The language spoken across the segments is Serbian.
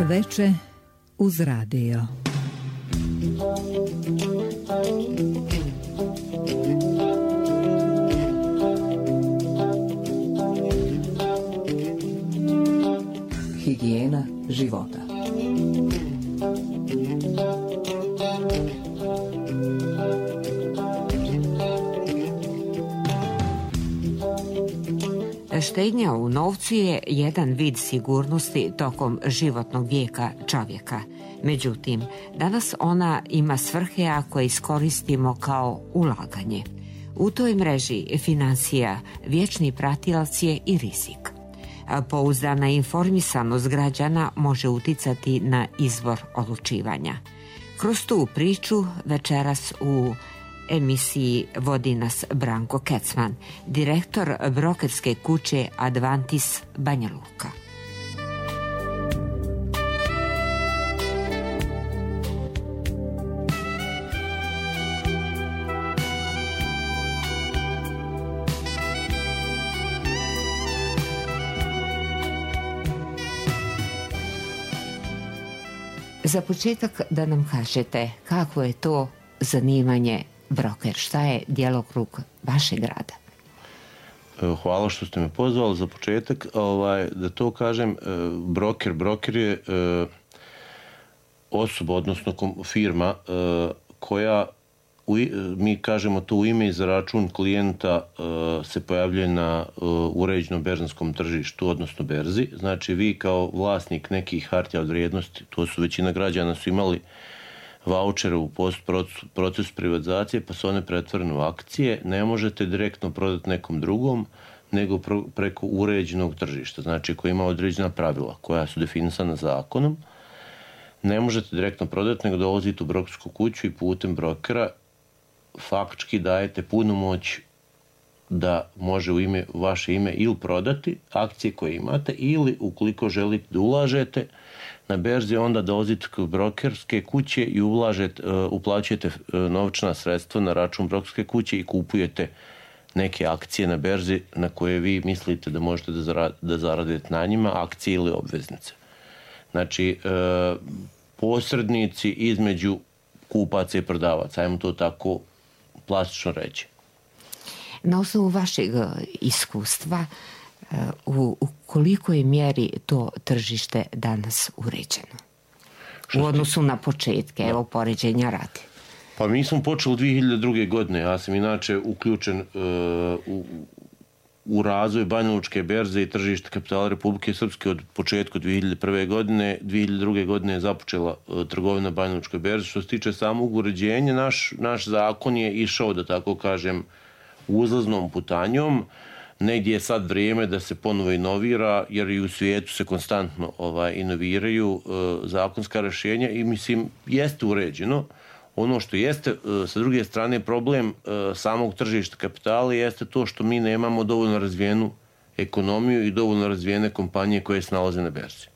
veče uz radio. Higijena života. Štednja u novcu je jedan vid sigurnosti tokom životnog vijeka čovjeka. Međutim, danas ona ima svrhe ako je iskoristimo kao ulaganje. U toj mreži financija vječni pratilac je i rizik. Pouzdana informisanost građana može uticati na izbor odlučivanja. Kroz tu priču večeras u emisiji vodi nas Branko Kecman, direktor brokerske kuće Advantis Banja Luka. Za početak da nam kažete kako je to zanimanje broker, šta je djelokrug vašeg rada? Hvala što ste me pozvali. Za početak, da to kažem, broker je osoba, odnosno firma koja, mi kažemo to u ime i za račun klijenta, se pojavljuje na uređenom berzanskom tržištu, odnosno berzi. Znači vi kao vlasnik nekih hartija od vrijednosti, to su većina građana su imali vaučere u procesu privatizacije, pa su one pretvorene u akcije, ne možete direktno prodati nekom drugom, nego preko uređenog tržišta, znači koji ima određena pravila koja su definisana zakonom. Ne možete direktno prodati, nego dolazite u brokersku kuću i putem brokera faktički dajete punu moć da može u vaše ime ili prodati akcije koje imate, ili ukoliko želite da ulažete na berzi, onda dolazite kod brokerske kuće i uplaćujete novčana sredstva na račun brokerske kuće i kupujete neke akcije na berzi na koje vi mislite da možete da zaradite na njima, akcije ili obveznice. Znači, posrednici između kupaca i prodavaca, ajmo to tako plastično reći. Na osnovu vašeg iskustva, u kolikoj mjeri to tržište danas uređeno? U odnosu na početke, evo poređenja radi. Pa mi smo počeli 2002. godine, ja sam inače uključen u razvoj Banja Lučke berze i tržišta kapitala Republike Srpske od početka 2001. godine. 2002. godine je započela trgovina Banja Lučke berze. Što se tiče samog uređenja, naš zakon je išao, da tako kažem, uzlaznom putanjom. Negdje je sad vrijeme da se ponovo inovira, jer i u svijetu se konstantno inoviraju zakonska rješenja i mislim jeste uređeno. Ono što jeste, sa druge strane, problem samog tržišta kapitala jeste to što mi nemamo dovoljno razvijenu ekonomiju i dovoljno razvijene kompanije koje se nalaze na berzi.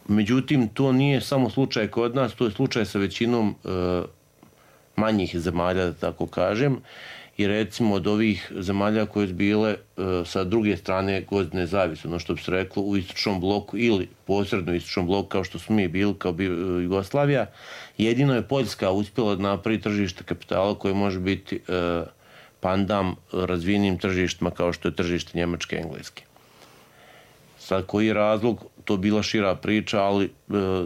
Međutim, to nije samo slučaj kod nas, to je slučaj sa većinom manjih zemalja, da tako kažem. I recimo od ovih zemalja koje su bile sa druge strane gozdne zavise, ono što bi se reklo u istočnom bloku ili posredno u istočnom bloku kao što smo mi bili, kao Jugoslavija, jedino je Poljska uspjela da napravi tržište kapitala koje može biti pandam razvijenim tržištima kao što je tržište Njemačke i Engleske. Sad koji je razlog, to bila šira priča, ali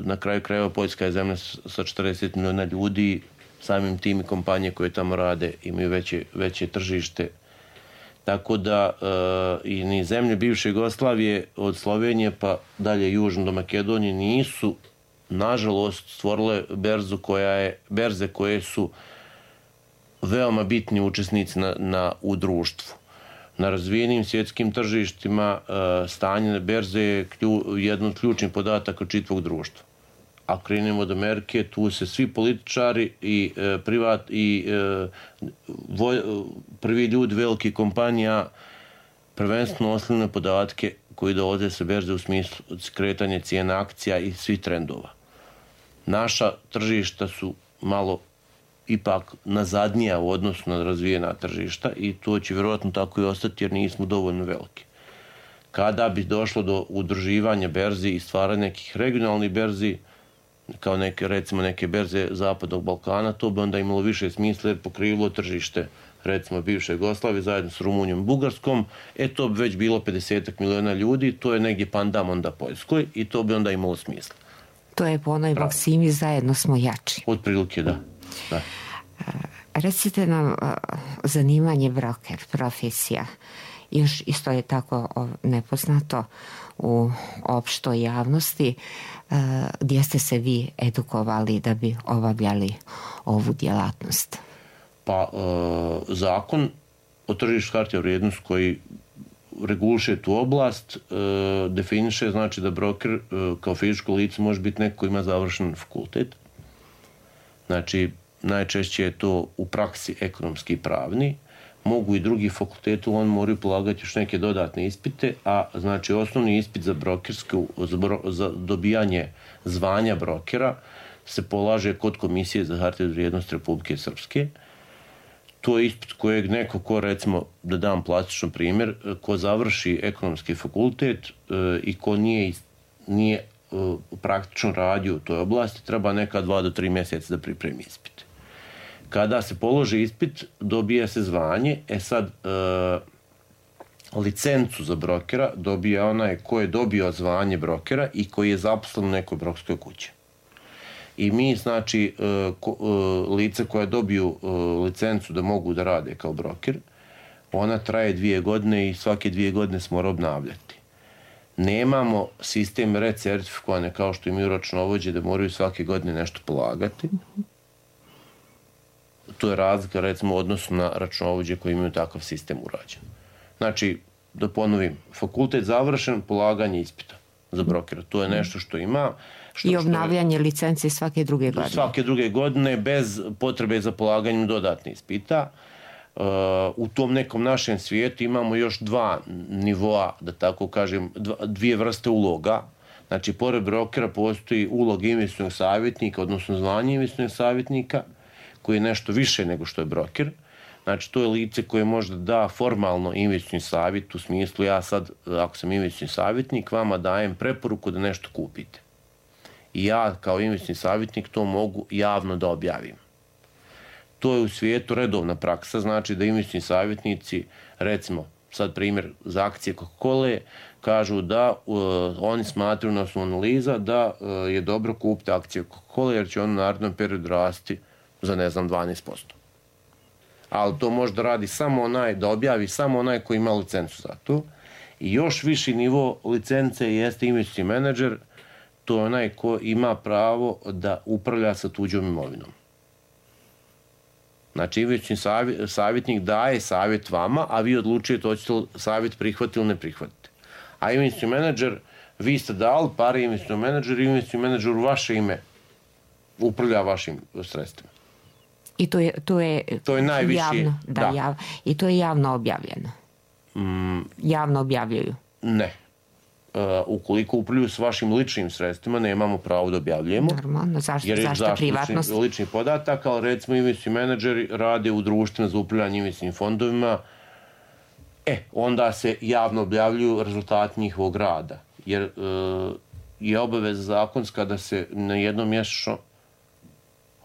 na kraju krajeva Poljska je zemlja sa 40 miliona ljudi, samim tim i kompanije koje tamo rade imaju veće tržište. Tako da i ni zemlje bivše Jugoslavije od Slovenije pa dalje južno do Makedonije nisu, nažalost, stvorile berze koje su veoma bitni učesnici u društvu. Na razvijenim svjetskim tržištima stanje na berze je jedan od ključnih podataka čitavog društva. Ako krenemo od Amerike, tu se svi političari i prvi ljudi velikih kompanija prvenstveno osnovne podatke koji dolaze sa berze u smislu kretanja cijena akcija i svih trendova. Naša tržišta su malo ipak nazadnija u odnosu na razvijena tržišta i to će vjerojatno tako i ostati jer nismo dovoljno veliki. Kada bi došlo do udruživanja berzi i stvaranja nekih regionalnih berzi, kao recimo neke berze Zapadnog Balkana, to bi onda imalo više smisla jer pokrivilo tržište recimo bivše Jugoslavije zajedno s Rumunijom i Bugarskom, to bi već bilo 50 miliona ljudi, to je negdje pandam onda Poljskoj i to bi onda imalo smisla. To je po onoj maksimi zajedno smo jači. Otprilike, da. Recite nam zanimanje broker, profesija. Još isto je tako nepoznato u opštoj javnosti. Gdje ste se vi edukovali da bi obavljali ovu djelatnost? Pa zakon o tržištu hartija od vrijednosti koji reguliše tu oblast definiše znači da broker kao fizičko lice može biti neko ko ima završen fakultet. Znači najčešće je to u praksi ekonomski i pravni. Mogu i drugi fakulteti, on moraju polagati još neke dodatne ispite, a znači osnovni ispit za za dobijanje zvanja brokera se polaže kod Komisije za hartije od vrijednosti Republike Srpske. To je ispit kojeg neko ko, recimo, da dam plastičan primjer, ko završi ekonomski fakultet i ko nije praktično radio u toj oblasti, treba neka 2 do 3 mjeseca da pripremi ispit. Kada se položi ispit, dobija se zvanje. Sad, licencu za brokera dobija onaj ko je dobio zvanje brokera i koji je zaposlen u nekoj brokerskoj kući. I mi, znači, lice koja dobiju licencu da mogu da rade kao broker, ona traje 2 godine i svake 2 godine se mora obnavljati. Nemamo sistem recertifikovane kao što imaju računovođe da moraju svake godine nešto polagati. To je razlika, recimo, u odnosu na računovođe koji imaju takav sistem urađen. Znači, da ponovim, fakultet završen, polaganje ispita za brokera. To je nešto što ima. I obnavljanje licence svake druge godine. Svake druge godine, bez potrebe za polaganjem dodatnih ispita. U tom nekom našem svijetu imamo još 2 nivoa, da tako kažem, 2 vrste uloga. Znači, pored brokera postoji ulog investicionog savjetnika, odnosno zvanje investicionog savjetnika, koji je nešto više nego što je broker. Znači, to je lice koje možda da formalno investicioni savjet, u smislu ja sad, ako sam investicioni savjetnik, vama dajem preporuku da nešto kupite. I ja kao investicioni savjetnik to mogu javno da objavim. To je u svijetu redovna praksa, znači da investicioni savjetnici, recimo, sad primjer za akcije Coca-Cola, kažu da oni smatraju na osnovu analiza da je dobro kupiti akcije Coca-Cola jer će on u narednom periodu rasti za, 12%. Ali to može da radi samo onaj, da objavi samo onaj koji ima licencu za to. I još viši nivo licence jeste investicioni menadžer, to je onaj ko ima pravo da upravlja sa tuđom imovinom. Znači, investicioni savjetnik daje savjet vama, a vi odlučujete hoćete li savjet prihvatiti ili ne prihvatiti. A investicioni menadžer, vi ste dali pare investicionom menadžeru i investicioni menadžer u vaše ime upravlja vašim sredstvima. I to je najviši, javno, i to je javno objavljeno. Javno objavljuju. Ne. Ukoliko upravljaju s vašim ličnim sredstvima, nemamo pravo da objavljujemo. Normalno, zašto privatnost? Lični podatak, ali recimo investicioni menadžeri rade u društvima za upravljanje investicijnim fondovima, onda se javno objavljuju rezultati njihovog rada. Jer je obaveza zakonska da se na jednom mjesečno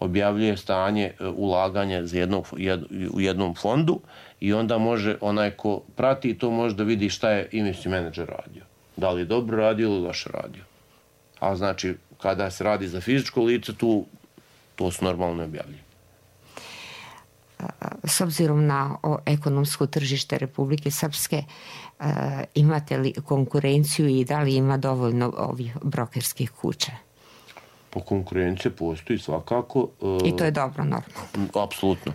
objavljuje stanje ulaganja u jednom fondu i onda može onaj ko prati to može da vidi šta je investicioni menadžer radio. Da li je dobro radio ili loše radio. A znači, kada se radi za fizičko lice, to se normalno objavljuje. S obzirom na ekonomsko tržište Republike Srpske, imate li konkurenciju i da li ima dovoljno ovih brokerskih kuća? Po konkurencije postoji svakako. I to je dobro, normalno. Apsolutno.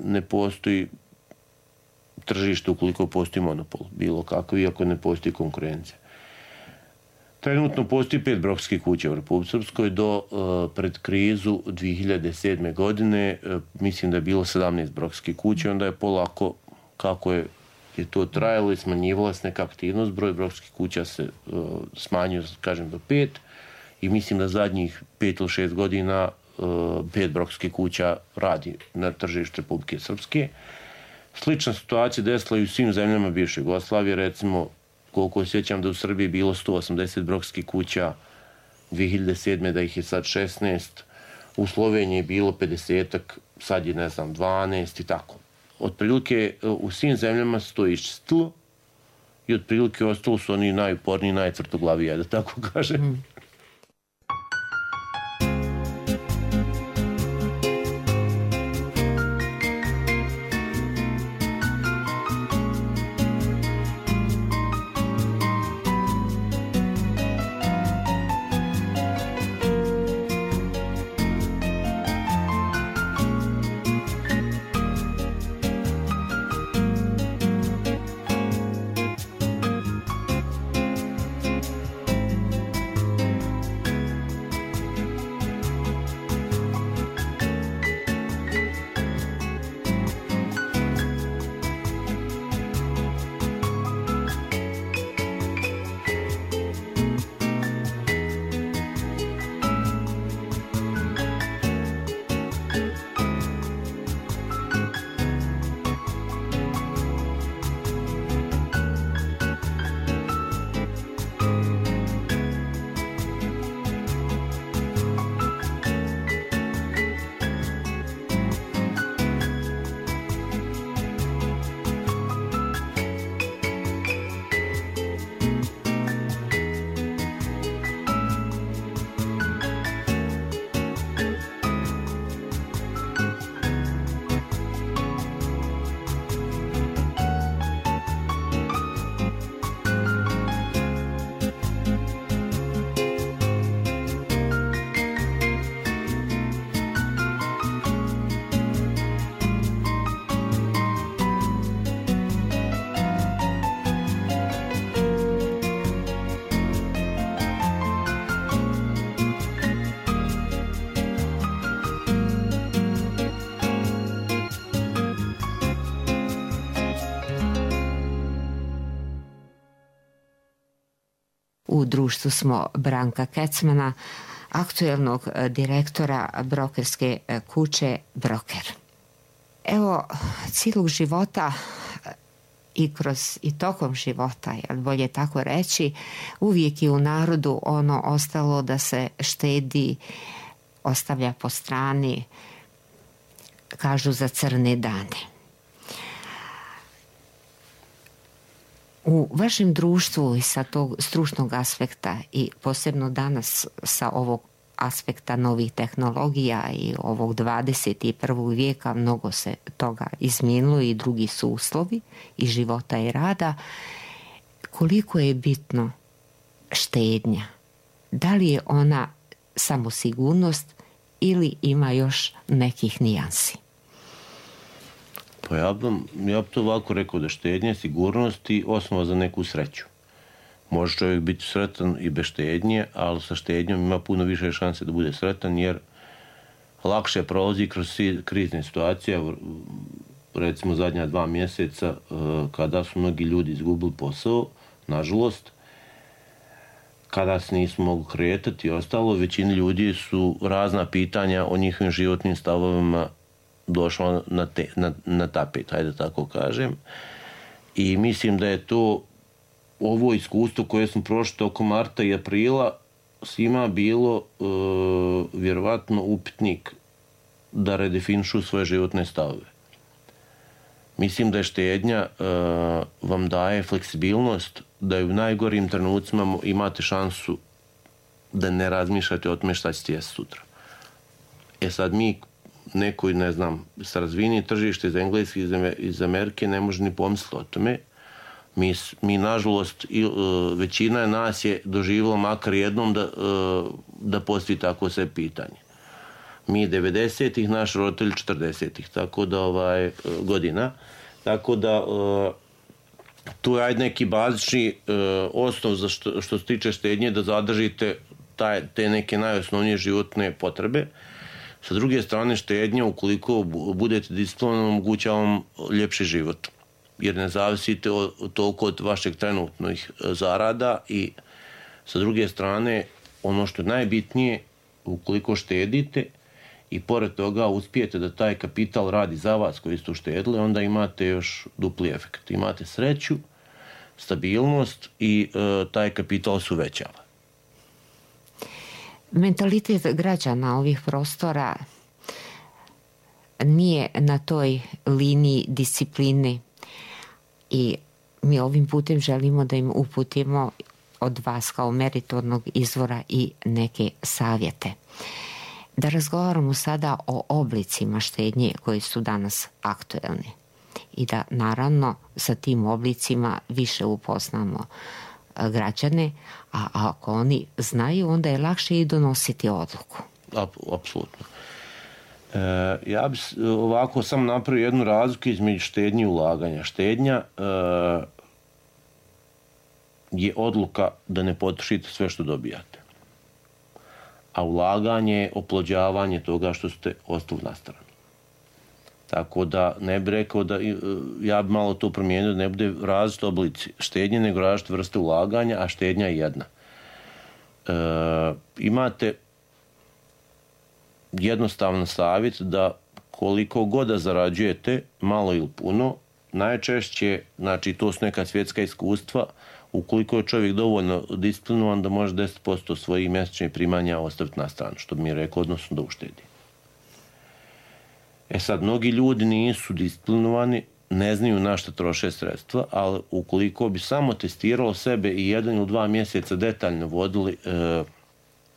Ne postoji tržište ukoliko postoji monopol, bilo kako, iako ne postoji konkurencija. Trenutno postoji 5 brokerskih kuća u Republici Srpskoj. Pred krizu 2007. godine mislim da je bilo 17 brokerskih kuća, onda je polako, kako je to trajalo i smanjivala se neka aktivnost, broj brokerskih kuća se smanjio, kažem, do 5 i mislim da zadnjih 5 ili 6 godina 5 brokerskih kuća radi na tržištu Republike Srpske. Slična situacija desila i u svim zemljama bivše Jugoslavije, recimo, koliko osjećam da u Srbiji bilo 180 brokskih kuća, 2007. da ih je sad 16, u Sloveniji je bilo 50-ak, sad je, 12 i tako. Otprilike u svim zemljama se to iščistilo i otprilike ostalo su oni najuporniji, najtvrtoglaviji, da tako kažem. U društvu smo Branka Kecmana, aktuelnog direktora brokerske kuće Broker. Evo, cijelog života i tokom života, bolje tako reći, uvijek je u narodu ono ostalo da se štedi, ostavlja po strani, kažu za crne dane. U vašem društvu i sa tog stručnog aspekta i posebno danas sa ovog aspekta novih tehnologija i ovog 21. vijeka mnogo se toga izmijenilo i drugi su uslovi i života i rada. Koliko je bitno štednja? Da li je ona samo sigurnost ili ima još nekih nijansi? Pa ja bi to ovako rekao da štednja, sigurnost i osnova za neku sreću. Može čovjek biti sretan i bez štednje, ali sa štednjom ima puno više šanse da bude sretan, jer lakše prolazi kroz krizne situacije. Recimo zadnja 2 mjeseca kada su mnogi ljudi izgubili posao, nažalost, kada se nisu mogli kretati i ostalo, većina ljudi su razna pitanja o njihovim životnim stavovima došla na tapet, hajde tako kažem. I mislim da je to ovo iskustvo koje smo prošli tokom marta i aprila svima bilo vjerovatno upitnik da redefinišu svoje životne stavove. Mislim da je štednja vam daje fleksibilnost, da u najgorim trenucima imate šansu da ne razmišljate o tome šta ćete jesti sutra. Sad mi nekoj, ne znam, sa razvijenim tržište iz Engleske, iz Amerike ne može ni pomisliti o tome. Mi nažalost, većina nas je doživjela makar jednom da postoji tako sve pitanje. Mi 90-ih, naši roditelji 40-ih, tako da godina. Tako da tu je neki bazični osnov za što se tiče štednje da zadržite te neke najosnovnije životne potrebe. Sa druge strane, štednja, ukoliko budete disciplinovani, omogućava vam ljepši život. Jer ne zavisite toliko od vašeg trenutnih zarada i sa druge strane, ono što je najbitnije, ukoliko štedite, i pored toga uspijete da taj kapital radi za vas koji ste uštedili, onda imate još dupli efekt. Imate sreću, stabilnost i taj kapital se uvećava. Mentalitet građana ovih prostora nije na toj liniji discipline i mi ovim putem želimo da im uputimo od vas kao meritornog izvora i neke savjete. Da razgovaramo sada o oblicima štednje koji su danas aktuelni i da naravno sa tim oblicima više upoznamo građane, a ako oni znaju, onda je lakše i donositi odluku. Apsolutno. Ja bih ovako sam napravio jednu razliku između štednje i ulaganja. Štednja je odluka da ne potrošite sve što dobijate. A ulaganje je oplođavanje toga što ste ostavili na stranu. Tako da ne bih rekao da, ja bih malo to promijenio, da ne bude različite oblici štednje, nego različite vrste ulaganja, a štednja je jedna. Imate jednostavan savjet da koliko god da zarađujete, malo ili puno, najčešće, znači to su neka svjetska iskustva, ukoliko je čovjek dovoljno disciplinovan da može 10% svojih mjesečnih primanja ostaviti na stranu, što bi mi rekao, odnosno da uštedi. Sad, mnogi ljudi nisu disciplinovani, ne znaju na što troše sredstva, ali ukoliko bi samo testiralo sebe i 1 ili 2 mjeseca detaljno vodili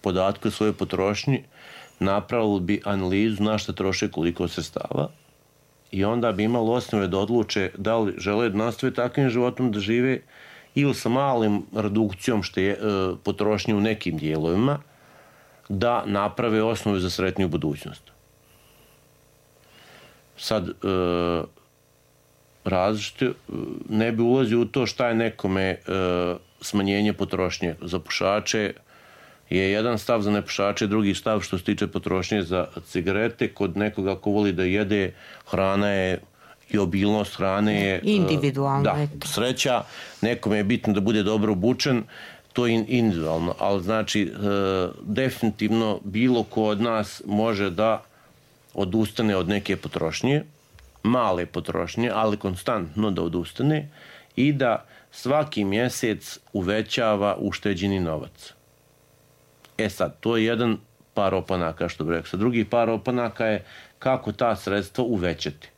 podatke o svojoj potrošnji, napravili bi analizu na što troše koliko sredstava i onda bi imali osnove da odluče da li žele da nastave takvim životom da žive ili sa malim redukcijom potrošnje u nekim dijelovima da naprave osnovu za sretniju budućnost. Sad, različite, ne bi ulazio u to šta je nekome smanjenje potrošnje. Za pušače je jedan stav, za nepušače drugi stav što se tiče potrošnje za cigarete. Kod nekoga ko voli da jede, hrana je i obilnost hrane je individualno. Da, sreća. Nekome je bitno da bude dobro obučen, to je individualno. Ali znači, definitivno bilo ko od nas može da odustane od neke potrošnje, male potrošnje, ali konstantno da odustane i da svaki mjesec uvećava ušteđeni novac. Sad, to je jedan par opanaka, što bih rekao. Drugi par opanaka je kako ta sredstva uvećati.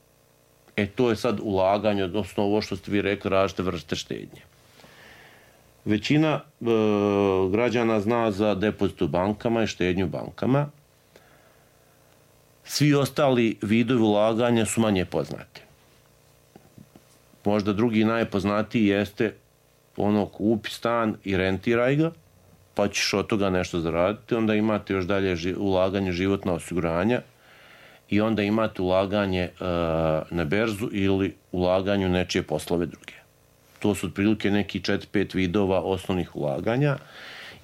To je sad ulaganje, odnosno ovo što ste vi rekli, različite vrste štednje. Većina građana zna za depozit u bankama i štednju u bankama. Svi ostali vidovi ulaganja su manje poznati. Možda drugi najpoznatiji jeste kupi stan i rentiraj ga, pa ćeš od toga nešto zaraditi. Onda imate još dalje ulaganje životna osiguranja i onda imate ulaganje na berzu ili ulaganje u nečije poslove druge. To su otprilike neki 4-5 vidova osnovnih ulaganja.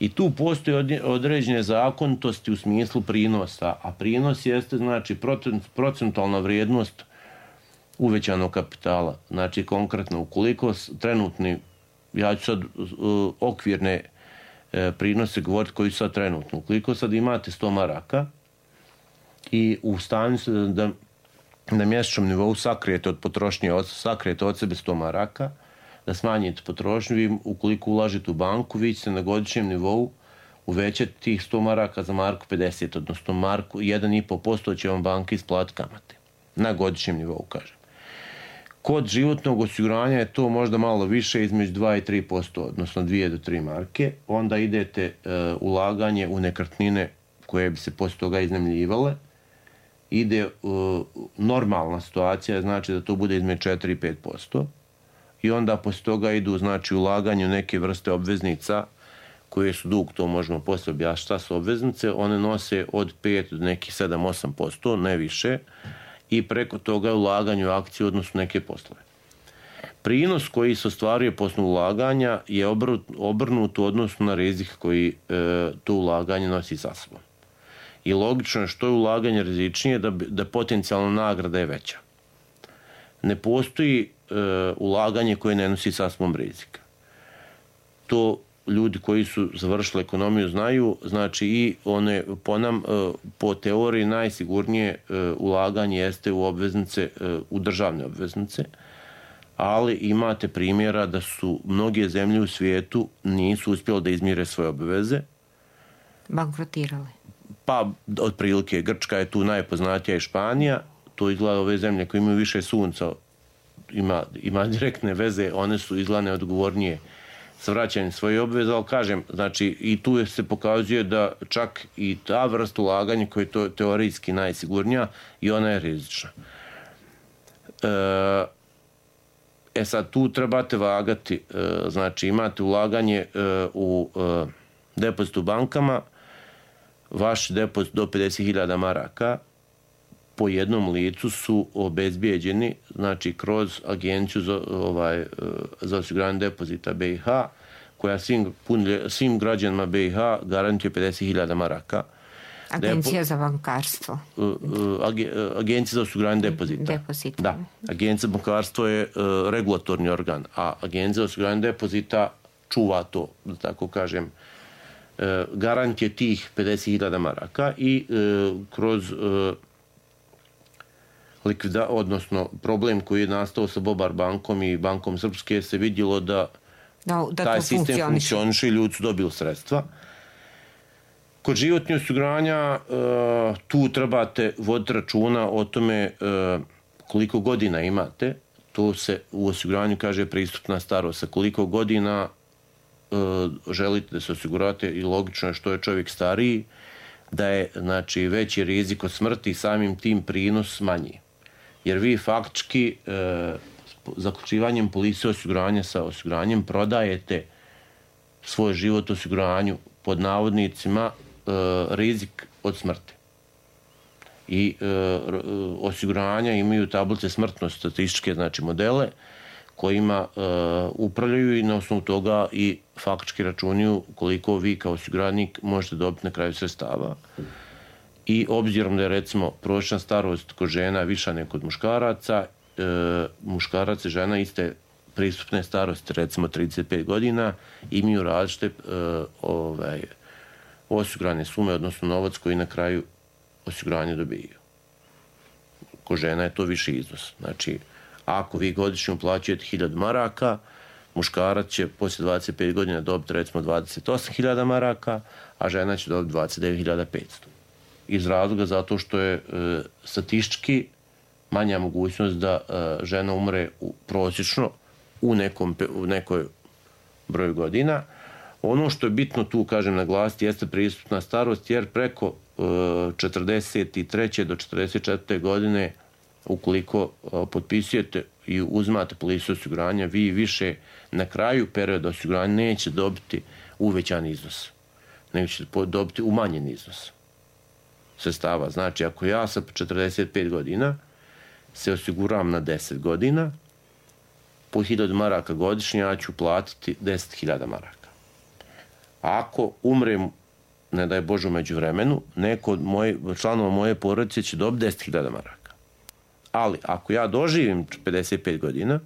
I tu postoje određene zakonitosti u smislu prinosa, a prinos jeste znači procentualna vrijednost uvećanog kapitala. Znači konkretno, ukoliko trenutni, ja ću sad okvirne prinose govoriti koji su sad trenutno. Ukoliko sad imate 100 maraka i u stanju ste da na mjesečnom nivou sakrijete od potrošnje, sakrijete od sebe 100 maraka, da smanjite potrošnju, vi ukoliko ulažete u banku, vi ćete na godišnjem nivou uvećati tih 100 maraka za marku 50, odnosno marku 1,5% će vam banka isplatiti kamate. Na godišnjem nivou, kažem. Kod životnog osiguranja je to možda malo više, između 2 i 3%, odnosno 2 do 3 marke. Onda idete ulaganje u nekretnine koje bi se poslije toga iznajmljivale. Ide normalna situacija, znači da to bude između 4 i 5%. I onda poslije toga idu znači ulaganje u neke vrste obveznica koje su dug, to možemo poslije objasniti šta su obveznice, one nose od 5 do nekih 7-8%, ne više, i preko toga je ulaganje u akcije, odnosno neke poslove. Prinos koji se ostvaruje posle ulaganja je obrnut u odnosu na rizik koji to ulaganje nosi sa sobom. I logično je što je ulaganje rizičnije, da potencijalna nagrada je veća. Ne postoji ulaganje koje ne nosi sa sobom rizika. To ljudi koji su završili ekonomiju znaju, znači i one po teoriji najsigurnije ulaganje jeste u obveznice, u državne obveznice, ali imate primjera da su mnoge zemlje u svijetu nisu uspjeli da izmire svoje obveze. Bankrotirale. Pa, otprilike, Grčka je tu najpoznatija i Španija, to izgleda ove zemlje koje imaju više sunca, ima direktne veze, one su izgleda neodgovornije sa vraćanjem svoje obveze, ali kažem, znači i tu se pokazuje da čak i ta vrsta ulaganja koja je teorijski najsigurnija i ona je rizična. Sad tu trebate vagati, znači imate ulaganje u depozit u bankama, vaš depozit do 50.000 maraka po jednom licu su obezbijeđeni, znači kroz agenciju za osiguranje depozita BiH, koja svim građanima BiH garantuje 50.000 maraka. Agencija za bankarstvo. Agencija za osiguranje depozita. Da. Agencija za bankarstvo je regulatorni organ, a Agencija za osiguranje depozita čuva to, da tako kažem, garant je tih 50.000 maraka i kroz odnosno problem koji je nastao sa Bobar bankom i Bankom Srpske se vidjelo da taj sistem funkcioniše i ljudi su dobili sredstva. Kod životnih osiguranja tu trebate voditi računa o tome koliko godina imate. To se u osiguranju kaže pristupna starost. Sa koliko godina želite da se osigurate i logično je što je čovjek stariji, da je znači, veći rizik od smrti i samim tim prinos manji. Jer vi faktički zaključivanjem polise osiguranja sa osiguranjem prodajete svoj život osiguranju pod navodnicima rizik od smrti. I osiguranja imaju tablice smrtnosti, statističke znači modele kojima upravljaju i na osnovu toga i faktički računaju koliko vi kao osiguranik možete dobiti na kraju sredstava. I obzirom da je recimo prosječna starost kod žena viša nego kod muškaraca, muškarac i žena iste pristupne starosti, recimo 35 godina, imaju različite osigurane sume, odnosno novac koji na kraju osiguranje dobijaju. Kod žena je to viši iznos. Znači, ako vi godišnje uplaćujete 1000 maraka, muškarac će poslije 25 godina dobiti recimo 28.000 maraka, a žena će dobiti 29.500. Iz razloga zato što je statistički manja mogućnost da žena umre prosječno u nekoj broju godina. Ono što je bitno tu, kažem, naglasiti jeste pristupna starost, jer preko 43. do 44. godine ukoliko potpisujete i uzmate polisu osiguranja, vi više na kraju perioda osiguranja neće dobiti uvećan iznos, nego ćete dobiti umanjen iznos sredstava. Znači, ako ja sa 45 godina se osiguram na 10 godina, po 1000 maraka godišnje ja ću platiti 10.000 maraka. Ako umrem, ne daj Bože u međuvremenu, neko od članova moje porodice će dobiti 10.000 maraka. Ali, ako ja doživim 55 godina,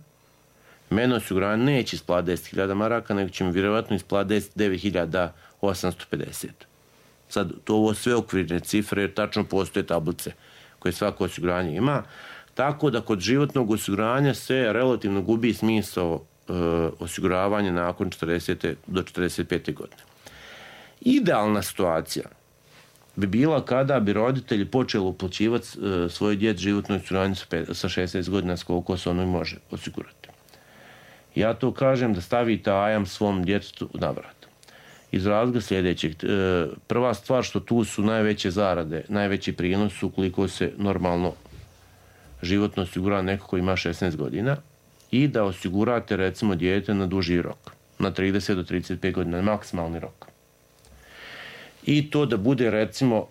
mene osiguranje neće isplatiti 10.000 maraka, nego će mi vjerovatno isplatiti 9.850. Sad, to ovo sve okvirne cifre, jer tačno postoje tablice koje svako osiguranje ima. Tako da kod životnog osiguranja se relativno gubi smisao osiguravanja nakon 40. do 45. godine. Idealna situacija bi bila kada bi roditelji počeli uplaćivati svoj djeci životno osiguranje sa 16 godina, s koliko se ono može osigurati. Ja to kažem da stavite ajam svom djetetu na vrat. Iz razloga sljedećeg. Prva stvar što tu su najveće zarade, najveći prinos ukoliko se normalno životno osigura neko ko ima 16 godina i da osigurate recimo dijete na duži rok, na 30 do 35 godina, maksimalni rok. I to da bude recimo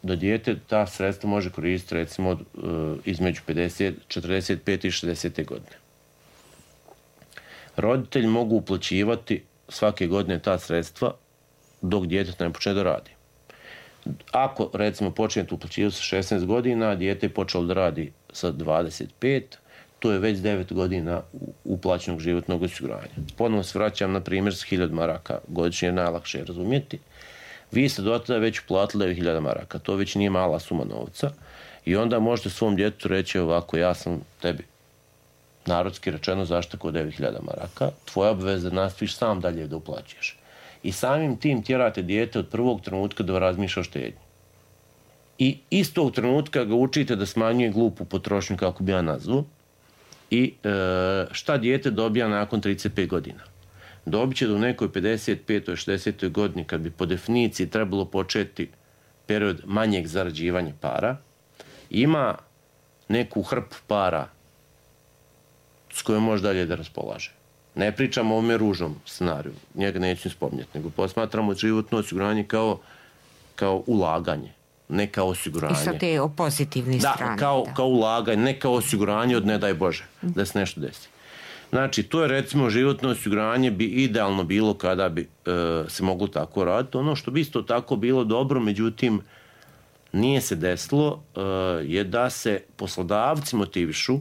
da dijete ta sredstva može koristiti recimo između 45 i 60 godine. Roditelji mogu uplaćivati svake godine ta sredstva dok dijete ne počne da radi. Ako recimo počnete uplaćivati sa 16 godina, dijete je počelo da radi sa 25, to je već 9 godina uplaćenog životnog osiguranja. Ponovno se vraćam na primjer s 1000 maraka godišnje, je najlakše razumjeti. Vi ste do tada već uplatili 9000 maraka, to već nije mala suma novca i onda možete svom djetetu reći ovako, ja sam tebi narodski rečeno zaštako 9000 maraka, tvoja obveza da nastaviš sam dalje da uplaćuješ. I samim tim tjerate dijete od prvog trenutka da razmišlja o štednji. I istog trenutka ga učite da smanjuje glupu potrošnju, kako bi ja nazvao, i šta dijete dobija nakon 35 godina. Dobit će da u nekoj 55. 60. godini, kad bi po definiciji trebalo početi period manjeg zarađivanja para, ima neku hrpu para s kojom može dalje da raspolaže. Ne pričamo o ovome ružnom scenariju, njega neću spominjati, nego posmatramo životno osiguranje kao ulaganje, ne kao osiguranje. I sa te pozitivne strane. Kao ulaganje, ne kao osiguranje od ne daj Bože, da se nešto desi. Znači, to je recimo životno osiguranje bi idealno bilo kada bi se moglo tako raditi. Ono što bi isto tako bilo dobro, međutim, nije se desilo, je da se poslodavci motivišu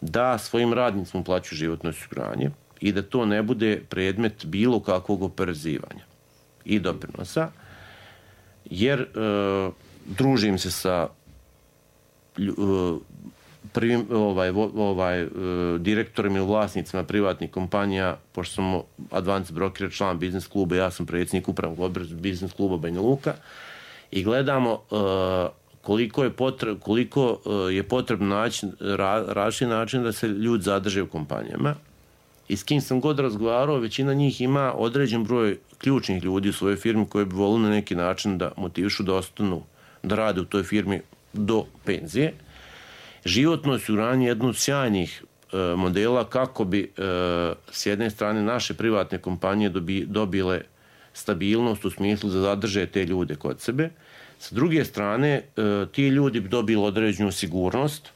da svojim radnicima uplaćuju životno osiguranje i da to ne bude predmet bilo kakvog oporezivanja i doprinosa, jer družim se sa prvim direktorima i vlasnicima privatnih kompanija, pošto sam Advance Broker, član biznis kluba, ja sam predsjednik upravnog odbora biznis kluba Banja Luka, i gledamo koliko je potrebno naći različiti način da se ljudi zadrže u kompanijama. I s kim sam god razgovarao, većina njih ima određen broj ključnih ljudi u svojoj firmi koji bi volili na neki način da motivišu da ostanu, da rade u toj firmi do penzije. Životno osiguranje je jedno od sjajnih modela kako bi s jedne strane naše privatne kompanije dobile stabilnost u smislu da zadrže te ljude kod sebe. Sa druge strane, ti ljudi bi dobili određenu sigurnost.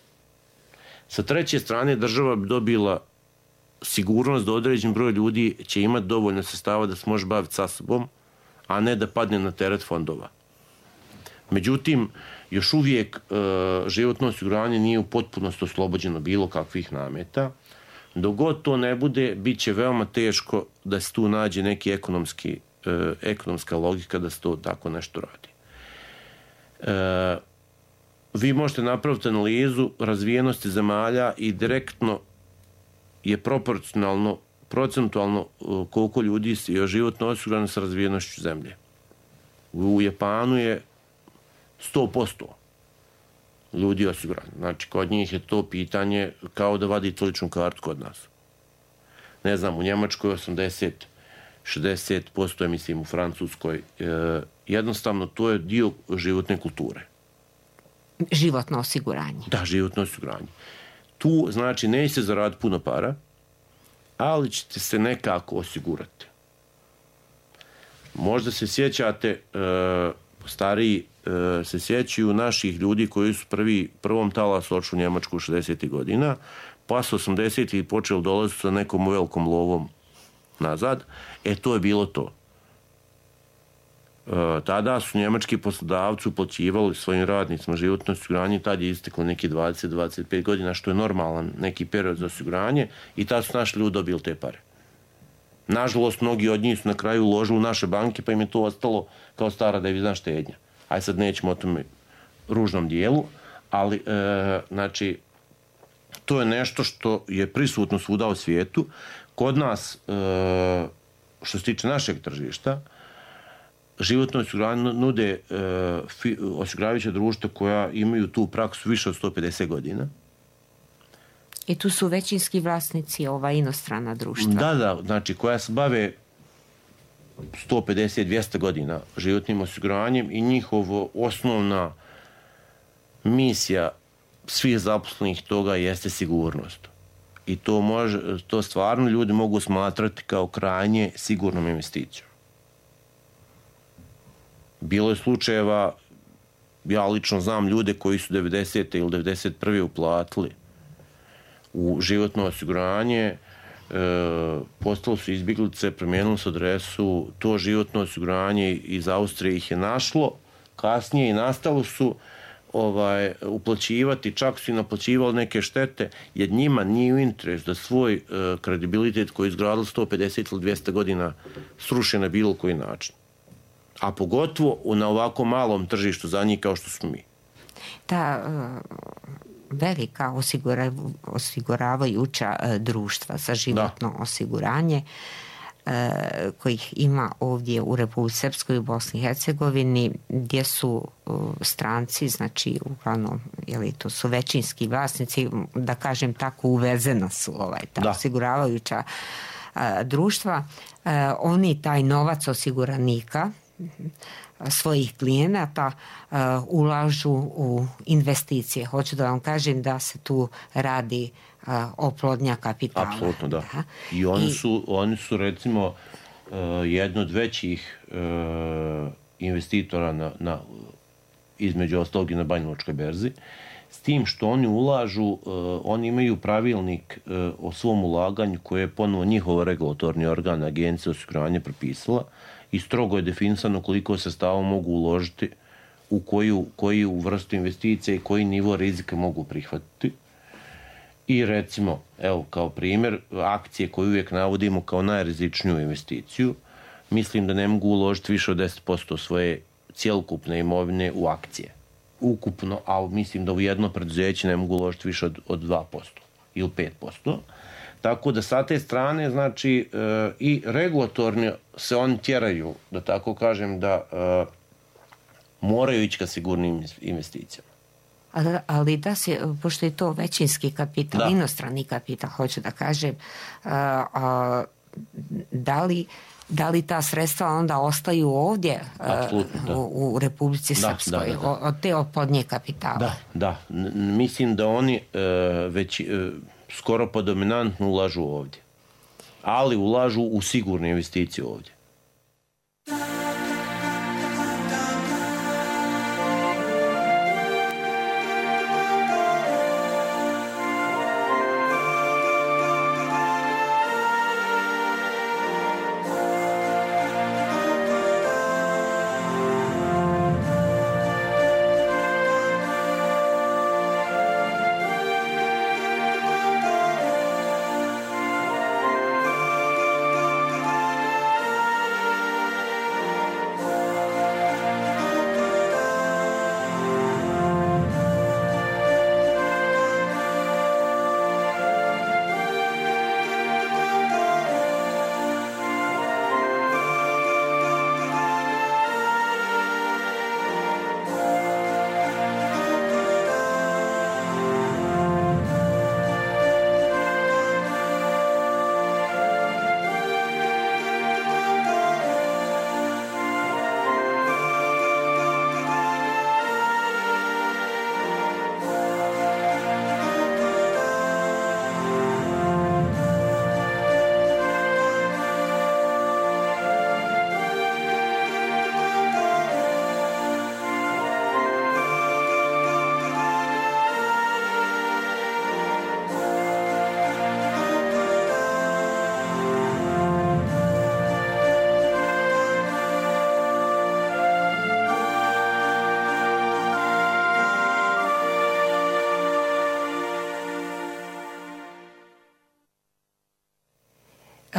Sa treće strane, država bi dobila sigurnost da određen broj ljudi će imati dovoljno sredstava da se može baviti sa sobom, a ne da padne na teret fondova. Međutim, još uvijek životno osiguranje nije u potpunosti oslobođeno bilo kakvih nameta. Dok god to ne bude, bit će veoma teško da se tu nađe neki ekonomska logika da se to tako nešto radi. Vi možete napraviti analizu razvijenosti zemalja i direktno je proporcionalno, procentualno koliko ljudi je životno osigurano sa razvijenošću zemlje. U Japanu je 100% ljudi osigurani. Znači, kod njih je to pitanje kao da vadite ličnu kartu kod nas. Ne znam, u Njemačkoj 60%, mislim u Francuskoj. Jednostavno, to je dio životne kulture. Životno osiguranje. Da, životno osiguranje. Tu, znači, nećete zaraditi puno para, ali ćete se nekako osigurati. Možda se sjećate, stariji se sjećaju naših ljudi koji su prvom talasu odšli u Njemačku 60. godina, pa su 80. počeli dolaziti sa nekom velikom lovom nazad. To je bilo to. Tada su njemački poslodavci uplaćivali svojim radnicima životno osiguranje, tad je isteklo neki 20-25 godina, što je normalan neki period za osiguranje, i tad su naši ljudi dobili te pare. Nažalost, mnogi od njih su na kraju uložili u naše banke, pa im je to ostalo kao stara devizna štednja. Aj sad nećemo o tome ružnom dijelu, ali znači, to je nešto što je prisutno svuda u svijetu. Kod nas, što se tiče našeg tržišta, životno osiguranje nude osiguravajuća društva koja imaju tu praksu više od 150 godina. I tu su većinski vlasnici inostrana društva. Da, znači koja se bave 150-200 godina životnim osiguranjem i njihova osnovna misija svih zaposlenih toga jeste sigurnost. I to stvarno ljudi mogu smatrati kao krajnje sigurnom investicijom. Bilo je slučajeva, ja lično znam ljude koji su 90. ili 91. uplatili u životno osiguranje, postali su izbjeglice, promijenili su adresu, to životno osiguranje iz Austrije ih je našlo, kasnije i nastalo su uplaćivati, čak su i naplaćivali neke štete, jer njima nije u interes da svoj kredibilitet koji je izgradili 150 ili 200 godina sruše na bilo koji način. A pogotovo na ovako malom tržištu za njih kao što smo mi. Ta velika osiguravajuća društva za životno osiguranje kojih ima ovdje u Republici Srpskoj i u Bosni i Hercegovini, gdje su stranci, znači uglavnom, to su većinski vlasnici, da kažem tako, uvezena su ta osiguravajuća društva. Oni taj novac osiguranika svojih klijenata ulažu u investicije. Hoću da vam kažem da se tu radi oplodnja kapitala. Apsolutno, da. I oni su recimo jedno od većih investitora između ostalog i na Banjalučkoj berzi, s tim što oni ulažu, oni imaju pravilnik o svom ulaganju koje je ponovo njihov regulatorni organ, Agencija osiguranja, propisala i strogo je definisano koliko sredstava mogu uložiti u koju vrstu investicije i koji nivo rizika mogu prihvatiti. I recimo, evo kao primjer, akcije koje uvijek navodimo kao najrizičniju investiciju, mislim da ne mogu uložiti više od 10% svoje cjelokupne imovine u akcije. Ukupno, a mislim da u jedno preduzeće ne mogu uložiti više od 2% ili 5%. Tako da sa te strane, znači, i regulatorni se oni tjeraju, da tako kažem, da moraju ići ka sigurnim investicijama. Ali da se, pošto je to većinski kapital, inostrani kapital, hoću da kažem, da li ta sredstva onda ostaju ovdje u Republici Srpskoj, od te oplodnje kapitala? Da. Mislim da oni već skoro pa dominantno ulažu ovdje. Ali ulažu u sigurne investicije ovdje.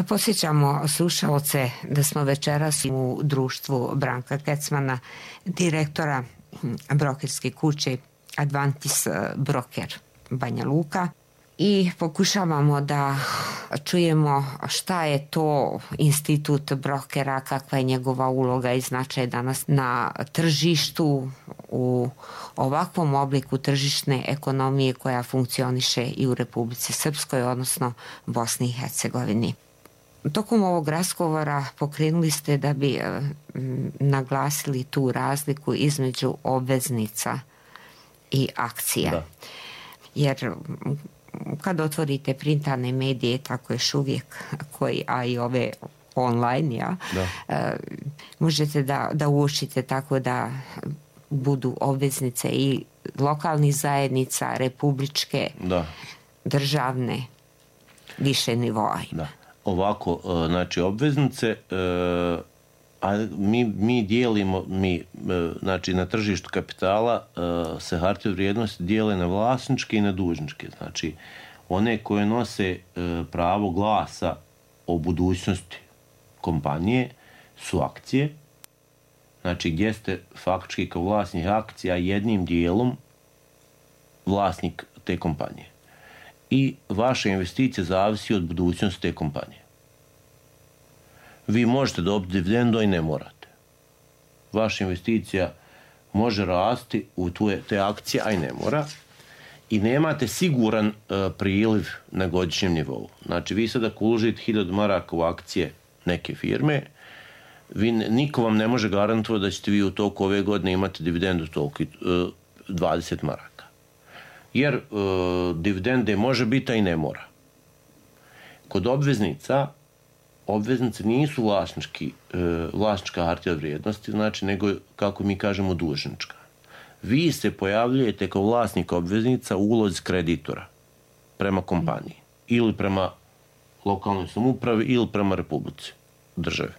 Posjećamo slušalce da smo večeras u društvu Branka Kecmana, direktora brokerske kuće Advantis Broker Banja Luka, i pokušavamo da čujemo šta je to institut brokera, kakva je njegova uloga i značaj danas na tržištu u ovakvom obliku tržišne ekonomije koja funkcioniše i u Republici Srpskoj, odnosno Bosni i Hercegovini. Tokom ovog razgovora pokrenuli ste da bi naglasili tu razliku između obveznica i akcija. Da. Jer kad otvorite printarne medije, tako još uvijek, a i ove online, možete da uočite tako da budu obveznice i lokalnih zajednica, republičke, državne, više nivoa. Da. Ovako, znači obveznice, A mi dijelimo, znači na tržištu kapitala se hartije od vrijednosti dijele na vlasničke i na dužničke. Znači, one koje nose pravo glasa o budućnosti kompanije su akcije, znači gdje ste faktički kao vlasnik akcija jednim dijelom vlasnik te kompanije. I vaša investicija zavisi od budućnosti te kompanije. Vi možete dobiti dividendu i ne morate. Vaša investicija može rasti u te akcije, a i ne mora. I nemate siguran priliv na godišnjem nivou. Znači, vi sad ako uložite 1000 maraka u akcije neke firme, niko vam ne može garantovati da ćete vi u toku ove godine imati dividendu toliko 20 maraka. Jer dividende može biti, a i ne mora. Kod obveznice nisu vlasnička hartija od vrijednosti, znači nego, kako mi kažemo, dužnička. Vi se pojavljujete kao vlasnik obveznica u ulozi kreditora prema kompaniji ili prema lokalnoj samoupravi ili prema republici, državi.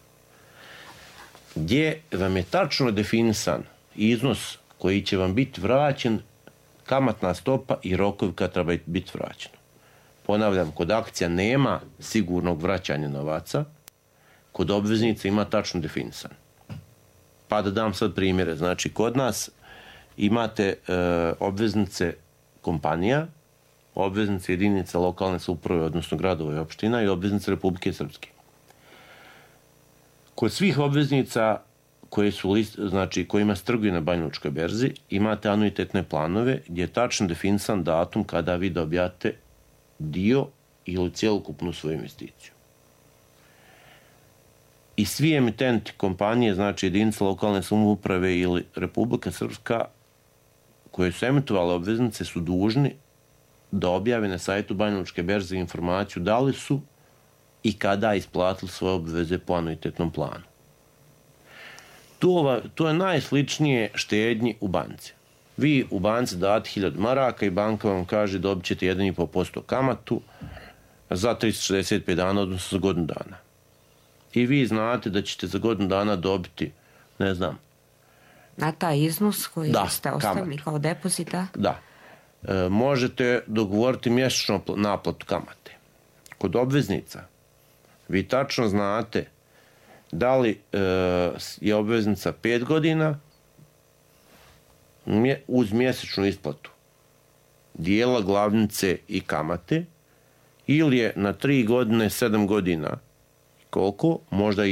Gdje vam je tačno definisan iznos koji će vam biti vraćen, kamatna stopa i rokovi kad treba biti vraćeno. Ponavljam, kod akcija nema sigurnog vraćanja novaca, kod obveznica ima tačno definisan. Pa da dam sad primjere. Znači, kod nas imate obveznice kompanija, obveznice jedinica lokalne samouprave, odnosno gradova i opština, i obveznice Republike Srpske. Kod svih obveznica kojima se trguje na Banjalučkoj berzi, imate anuitetne planove gdje je tačno definisan datum kada vi dobijate dio ili cijelokupnu svoju investiciju. I svi emitenti kompanije, znači jedinice lokalne samouprave ili Republika Srpska, koje su emitovale obveznice, su dužni da objave na sajtu Banjalučke berze informaciju da li su i kada isplatili svoje obveze po anuitetnom planu. To je najsličnije štednji u banci. Vi u banci date 1000 maraka i banka vam kaže dobit ćete 1,5% kamatu za 365 dana, odnosno za godinu dana. I vi znate da ćete za godinu dana dobiti, ne znam, na taj iznos koji ste ostavili kao depozita? Da. Možete dogovoriti mjesečno naplatu kamate. Kod obveznica vi tačno znate da li je obveznica 5 godina uz mjesečnu isplatu dijela glavnice i kamate, ili je na 3 godine, 7 godina, koliko, možda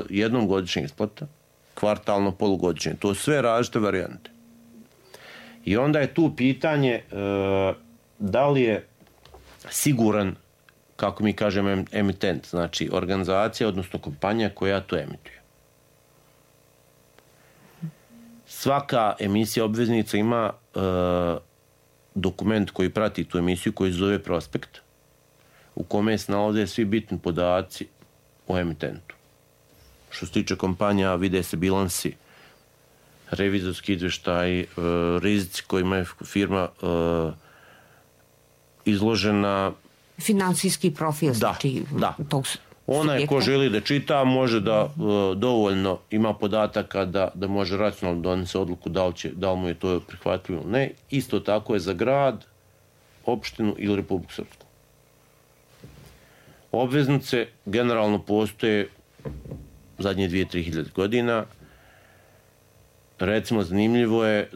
jednom godišnja isplata, kvartalno, polugodišnje. To su sve različite varijante. I onda je tu pitanje da li je siguran, kako mi kažemo, emitent, znači organizacija, odnosno kompanija koja to emituje. Svaka emisija obveznica ima dokument koji prati tu emisiju, koji se zove prospekt, u kome se nalaze svi bitni podaci o emitentu. Što se tiče kompanija, vide se bilansi, revizorski izveštaj, rizici kojima je firma izložena. Finansijski profil, znači tog subjekta. Onaj ko želi da čita, može da dovoljno ima podataka da može racionalno donese odluku da li mu je to prihvatljivo ili ne. Isto tako je za grad, opštinu ili Republiku Srpsku. Obveznice generalno postoje zadnje 2-3 godina. Recimo, zanimljivo je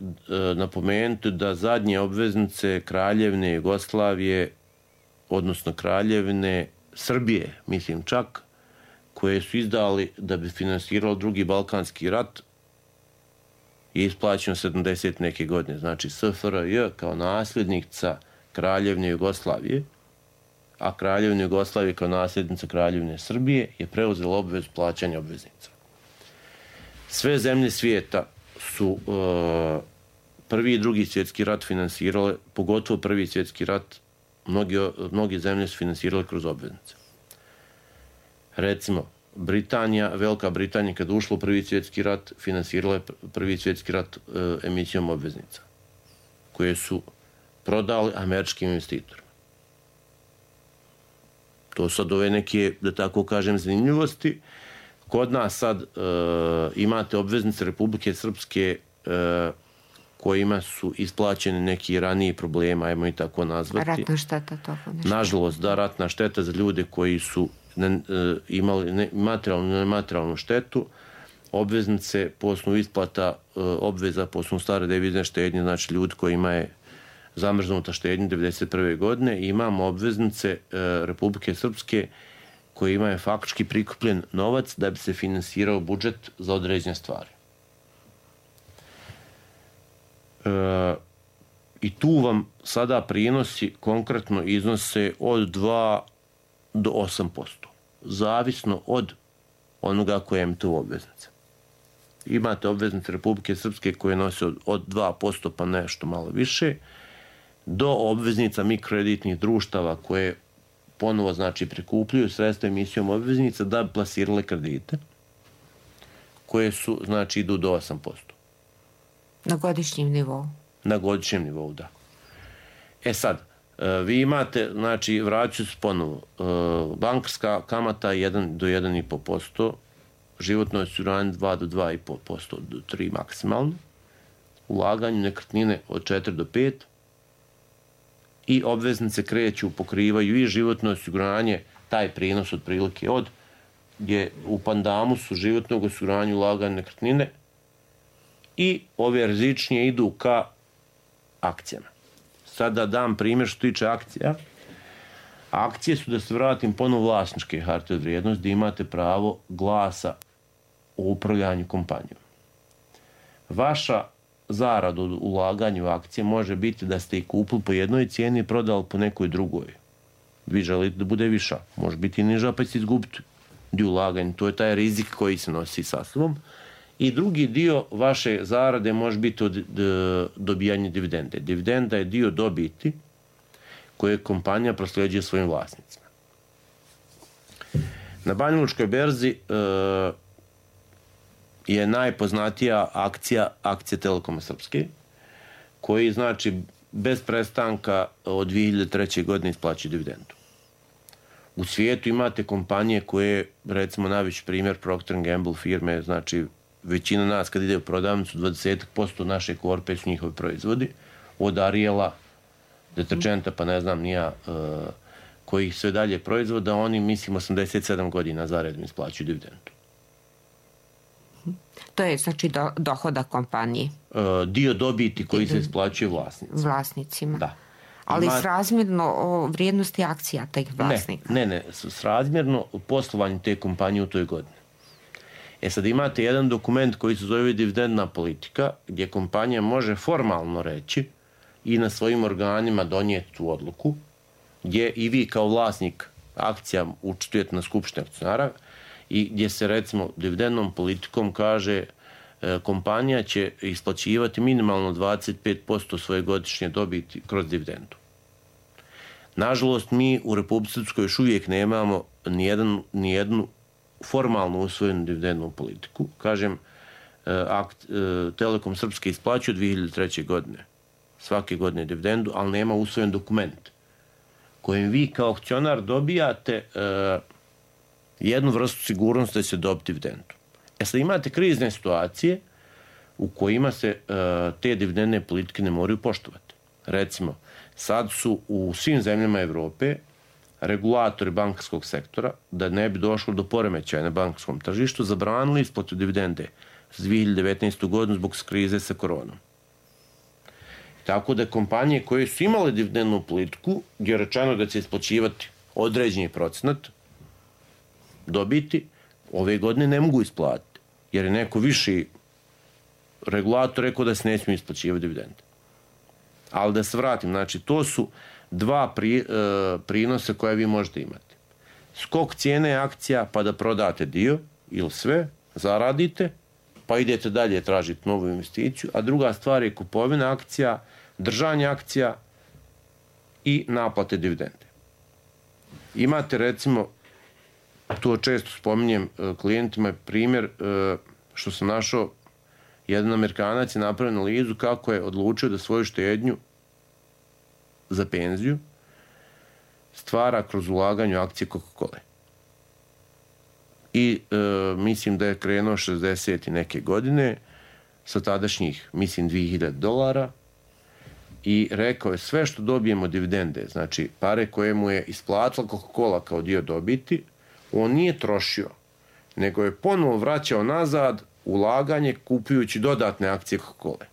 napomenuti da zadnje obveznice Kraljevine Jugoslavije, odnosno Kraljevine Srbije, mislim čak, koje su izdali da bi finansirali Drugi Balkanski rat, je isplaćeno 70 neke godine. Znači, SFRJ kao nasljednica Kraljevine Jugoslavije, a Kraljevina Jugoslavije kao nasljednica Kraljevine Srbije je preuzela obvezu plaćanja obveznica. Sve zemlje svijeta su Prvi i Drugi svjetski rat finansirale, pogotovo Prvi svjetski rat, mnogi zemlje su finansirale kroz obveznice. Recimo, Velika Britanija, kada ušla u Prvi svjetski rat, finansirala je Prvi svjetski rat emisijom obveznica, koje su prodali američkim investitorima. To sad ove neke, da tako kažem, zanimljivosti Kod nas sad imate obveznice Republike Srpske kojima su isplaćeni neki raniji problema, ajmo i tako nazvati. Ratna šteta toga nešto. Nažalost, da, ratna šteta za ljude koji su imali materijalnu i nematerijalnu štetu, obveznice po osnovu isplata obveza po osnovu stare devizne štednje, znači ljudi kojima je zamrznuta štednja 1991. godine, i imamo obveznice Republike Srpske kojima je faktički prikupljen novac da bi se finansirao budžet za određene stvari. I tu vam sada prinosi konkretno iznose od 2 do 8%, zavisno od onoga koje je tu obveznica. Imate obveznice Republike Srpske koje nose od 2% pa nešto malo više, do obveznica mikrokreditnih društava koje ponovo znači prikupljuju sredstva emisijom obveznica da bi plasirale kredite, koje su, znači, idu do 8%. Na godišnjem nivou? Na godišnjem nivou, da. Sad, vi imate, znači, vraću se ponovo, bankarska kamata 1 do 1,5%, životno osiguranje 2 do 2,5%, do 3 maksimalno, ulaganje nekretnine od 4 do 5%, i obveznice kreću, pokrivaju i životno osiguranje, taj prinos otprilike od, gdje u pandamusu životnog osiguranja ulaganja nekretnine, i ove rizičnije idu ka akcijama. Sada dam primjer što tiče akcija. Akcije su, da se vratim, ponovo vlasničke hartije od vrijednosti, gdje imate pravo glasa o upravljanju kompanijom. Vaša zarada od ulaganja u akcije može biti da ste ih kupili po jednoj cijeni i prodali po nekoj drugoj. Vi želite da bude viša. Može biti i niža, pa ćete izgubiti dio ulaganja. To je taj rizik koji se nosi sa sobom. I drugi dio vaše zarade može biti od dobijanja dividende. Dividenda je dio dobiti koje kompanija prosljeđuje svojim vlasnicima. Na Banjalučkoj berzi je najpoznatija akcija Telekoma Srpske, koji, znači, bez prestanka od 2003. godine isplaćuju dividendu. U svijetu imate kompanije koje, recimo, najveći primjer Procter & Gamble firme, znači, većina nas kad ide u prodavnicu, 20% naše korpe su njihovi proizvodi, od Ariela, deterđenta, pa ne znam nija koji sve dalje proizvoda, oni, mislim, 87 godina zaredom isplaćuju dividendu. To je, znači, dohodak kompanije? Dio dobiti koji se isplaćuje vlasnicima. Da. Ali srazmjerno o vrijednosti akcija tih vlasnika? Ne, srazmjerno poslovanju te kompanije u toj godini. Sad imate jedan dokument koji se zove dividendna politika, gdje kompanija može formalno reći i na svojim organima donijeti tu odluku, gdje i vi kao vlasnik akcija učestvujete na skupštini akcionara, i gdje se, recimo, dividendnom politikom kaže kompanija će isplaćivati minimalno 25% svoje godišnje dobiti kroz dividendu. Nažalost, mi u Republici Srpskoj još uvijek nemamo nijednu formalno usvojenu dividendnu politiku. Kažem, Telekom Srpske isplaćuje 2003. godine svake godine dividendu, ali nema usvojen dokument kojim vi kao akcionar dobijate jednu vrstu sigurnosti da će dobiti dividendu. Sad imate krizne situacije u kojima se te dividendne politike ne moraju poštovati. Recimo, sad su u svim zemljama Evrope regulatori bankarskog sektora, da ne bi došlo do poremećaja na bankarskom tržištu, zabranili isplatu dividende za 2019. godinu zbog krize sa koronom. Tako da kompanije koje su imale dividendnu politiku, gdje je rečeno da će isplaćivati određeni procenat dobiti, ove godine ne mogu isplatiti, jer je neko viši regulator rekao da se ne smije isplaćivati dividende. Ali da se vratim, znači, to su dva prinosa koje vi možete imati. Skok cijene akcija, pa da prodate dio ili sve, zaradite, pa idete dalje tražiti novu investiciju, a druga stvar je kupovina akcija, držanje akcija i naplate dividende. Imate, recimo, to često spominjem klijentima, primjer što sam našao, jedan Amerikanac je napravio analizu kako je odlučio da svoju štednju za penziju stvara kroz ulaganje u akcije Coca-Cola. i mislim da je krenuo 60 i neke godine sa tadašnjih, mislim, $2000 i rekao je sve što dobijemo dividende, znači pare koje mu je isplatila Coca-Cola kao dio dobiti, on nije trošio, nego je ponovo vraćao nazad ulaganje kupujući dodatne akcije Coca-Cola.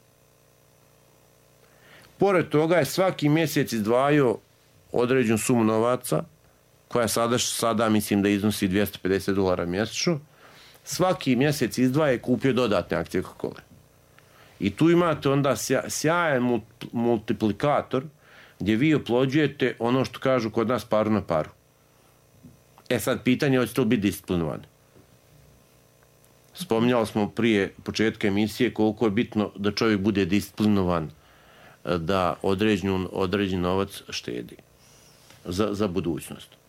Pored toga je svaki mjesec izdvajao određenu sumu novaca, koja sada mislim da iznosi $250 mjesečno, svaki mjesec izdvaja i kupio dodatne akcije Coca-Cola. I tu imate onda sjajan multiplikator gdje vi oplođujete ono što kažu kod nas paru na paru. Sad pitanje je hoće to biti disciplinovano. Spominjali smo prije početka emisije koliko je bitno da čovjek bude disciplinovan, da određen novac štedi za budućnost.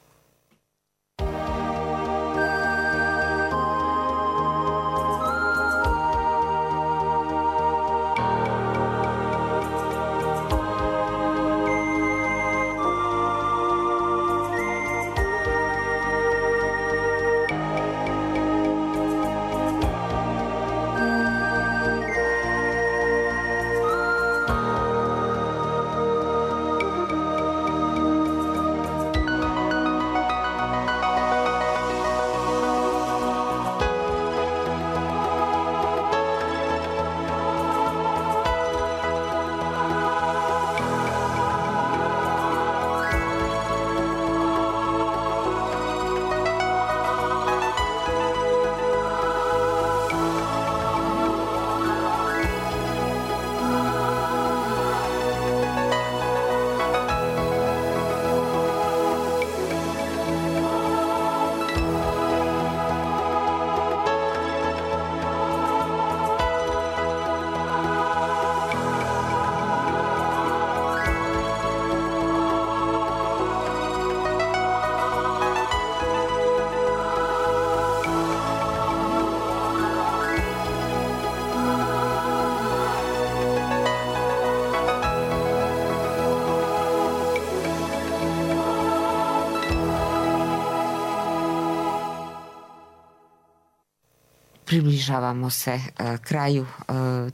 Približavamo se kraju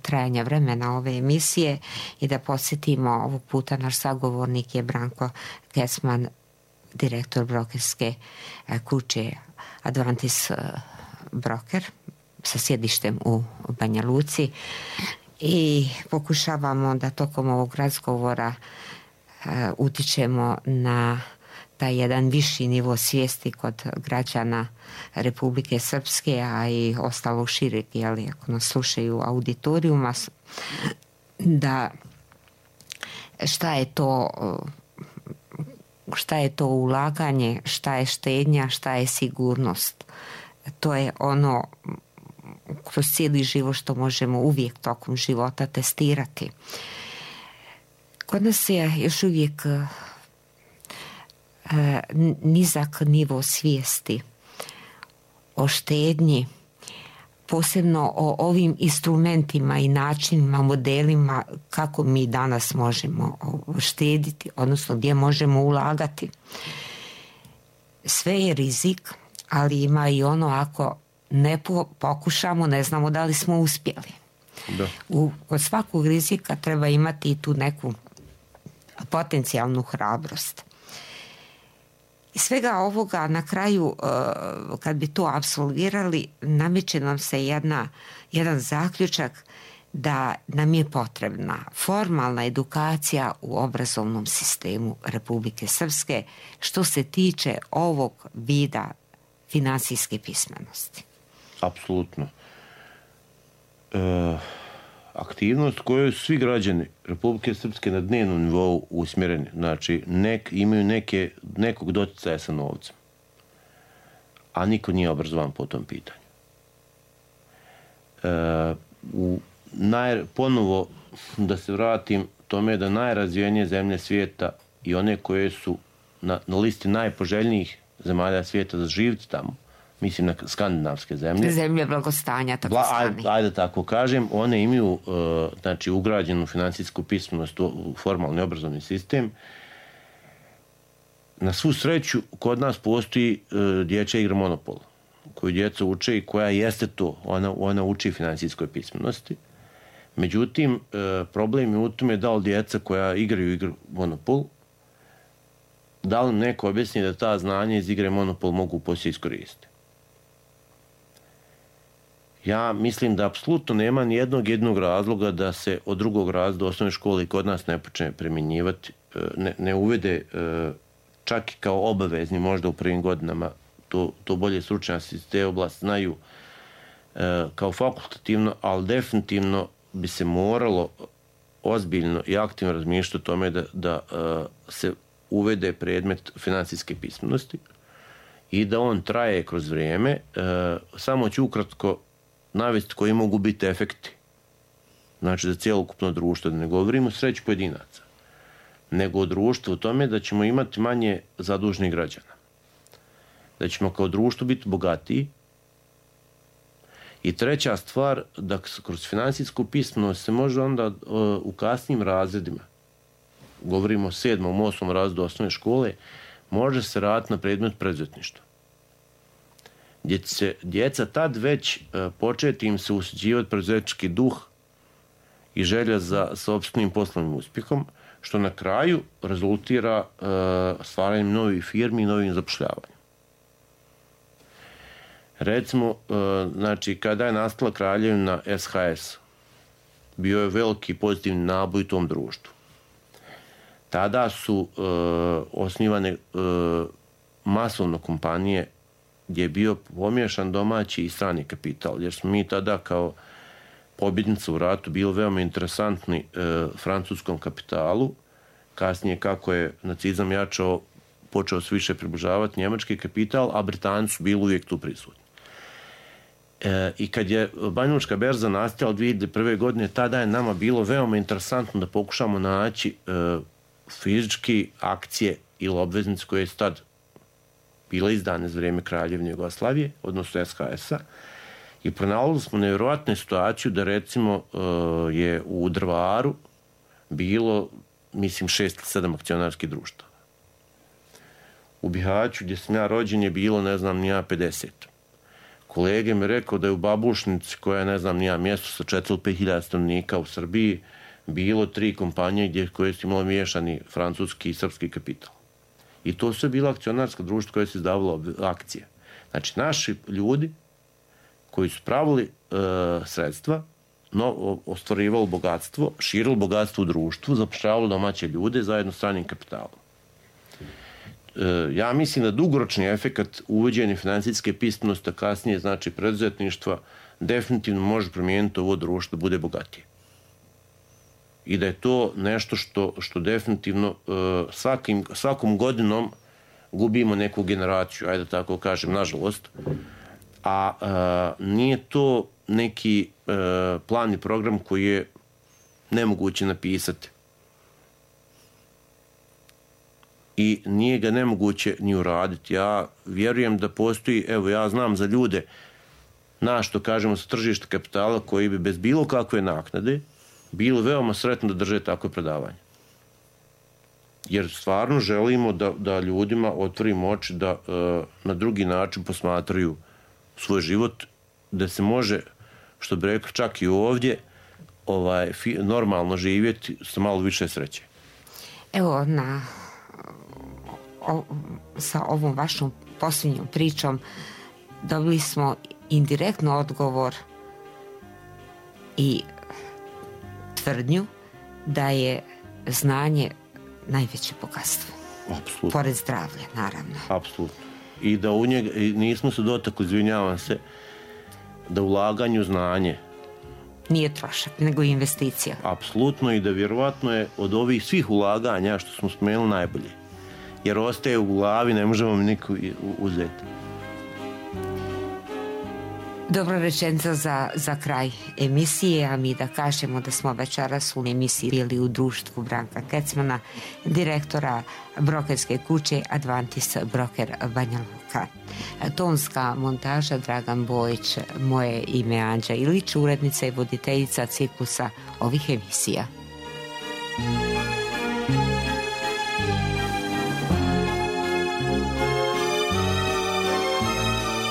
trajanja vremena ove emisije i da podsjetimo, ovog puta naš sagovornik je Branko Kecman, direktor brokerske kuće Advantis Broker sa sjedištem u Banja Luci i pokušavamo da tokom ovog razgovora utičemo na taj jedan viši nivo svijesti kod građana Republike Srpske, a i ostalo šireg, ako nas slušaju auditorijuma, da šta je to ulaganje, šta je štednja, šta je sigurnost. To je ono kroz cijeli život što možemo uvijek tokom života testirati. Kod nas je još uvijek nizak nivo svijesti o štednji, posebno o ovim instrumentima i načinima, modelima kako mi danas možemo štediti, odnosno gdje možemo ulagati. Sve je rizik, ali ima i ono ako ne pokušamo, ne znamo da li smo uspjeli. Da. Kod svakog rizika treba imati i tu neku potencijalnu hrabrost. I svega ovoga na kraju, kad bi to apsolvirali, nameće nam se jedan zaključak da nam je potrebna formalna edukacija u obrazovnom sistemu Republike Srpske što se tiče ovog vida finansijske pismenosti. Apsolutno. Aktivnost koju svi građani Republike Srpske na dnevnom nivou usmjereni, znači imaju nekog doticaja sa novcem, a niko nije obrazovan po tom pitanju. Ponovo da se vratim tome da najrazvijenije zemlje svijeta i one koje su na listi najpoželjnijih zemalja svijeta za živjeti tamo, mislim na skandinavske zemlje. Zemlje blagostanja, tako stani. Ajde tako kažem, one imaju ugrađenu financijsku pismenost u formalni obrazovni sistem. Na svu sreću, kod nas postoji dječja igra Monopol, koju djeca uče i koja jeste to, ona uči finansijskoj pismenosti. Međutim, problem je u tome da li djeca koja igraju igru Monopol, da li neko objasni da ta znanja iz igre Monopol mogu poslije iskoristiti. Ja mislim da apsolutno nema ni jednog razloga da se od drugog razreda osnovne škole i kod nas ne počne primjenjivati, ne uvede čak i kao obavezni možda u prvim godinama, to bolje stručnjaci iz te oblasti znaju, kao fakultativno, ali definitivno bi se moralo ozbiljno i aktivno razmišljati o tome da se uvede predmet finansijske pismenosti i da on traje kroz vrijeme. Samo ću ukratko navesti koji mogu biti efekti. Znači za cijelokupno društvo, da ne govorimo o sreći pojedinaca, nego o društvu u tome da ćemo imati manje zadužnih građana. Da ćemo kao društvo biti bogatiji. I treća stvar, da kroz finansijsku pismenost se može onda u kasnijim razredima, govorimo o 7. 8. razredu osnovne škole, može se raditi na predmet preduzetništva. Gdje će djeca tad već početi im se usađivati preduzetnički duh i želja za sopstvenim poslovnim uspjehom, što na kraju rezultira stvaranjem novih firmi i novim zapošljavanjem. Recimo, znači, kada je nastala kraljevina SHS, bio je veliki pozitivni naboj u tom društvu. Tada su osnivane masovno kompanije gdje je bio pomiješan domaći i strani kapital, jer smo mi tada kao pobjednica u ratu bili veoma interesantni francuskom kapitalu. Kasnije, kako je nacizam jačao, počeo se više približavati njemački kapital, a Britanci su bili uvijek tu prisutni. I kad je Banjalučka berza nastala 2001. godine, tada je nama bilo veoma interesantno da pokušamo naći fizički akcije ili obveznice koje su tad bile izdane za vrijeme Kraljevine Jugoslavije, odnosno SHS-a, i pronalazili smo nevjerojatnu situaciju da recimo je u Drvaru bilo, mislim, 6 ili 7 akcionarskih društava. U Bihaću, gdje sam ja rođen, je bilo, ne znam, ni ja 50. Kolege mi rekao da je u Babušnici, koja je, ne znam, ni ja mjesto sa 4 ili 5 hiljada stanovnika u Srbiji, bilo 3 kompanije koje su imali miješani francuski i srpski kapital. I to su bila akcionarska društva koje su izdavalo akcije. Znači, naši ljudi koji su pravili sredstva, ostvarivali bogatstvo, širili bogatstvo u društvu, zapošljavali domaće ljude zajedno s stranim kapitalom. Ja mislim da dugoročni efekt uvođenja financijske pismenosti, kasnije znači preduzetništva, definitivno može promijeniti ovo društvo da bude bogatije. I da je to nešto što definitivno svakom godinom gubimo neku generaciju, ajde tako kažem, nažalost. A nije to neki plan i program koji je nemoguće napisati. I nije ga nemoguće ni uraditi. Ja vjerujem da postoji, evo ja znam za ljude, što kažemo sa tržišta kapitala, koji bi bez bilo kakve naknade bilo veoma sretno da drže takve predavanje. Jer stvarno želimo da ljudima otvorimo oči, da na drugi način posmatraju svoj život, da se može, što bi rekao, čak i ovdje normalno živjeti sa malo više sreće. Evo, sa ovom vašom posljednjom pričom dobili smo indirektno odgovor i tvrdnju da je znanje najveće bogatstvo. Apsolutno. Pored zdravlja, naravno. Apsolutno. I da u njega, nismo se dotakli, izvinjavam se, da ulaganje u znanje nije trošak, nego investicija. Apsolutno, i da vjerovatno je od ovih svih ulaganja što smo spomenuli najbolje. Jer ostaje u glavi, ne možemo mi niko uzeti. Dobra rečenica za kraj emisije, a mi da kažemo da smo večeras u emisiji bili u društvu Branka Kecmana, direktora brokerske kuće Advantis Broker Banja Luka. Tonska montaža Dragan Bojić, moje ime Anđa Ilić, urednica i voditeljica ciklusa ovih emisija.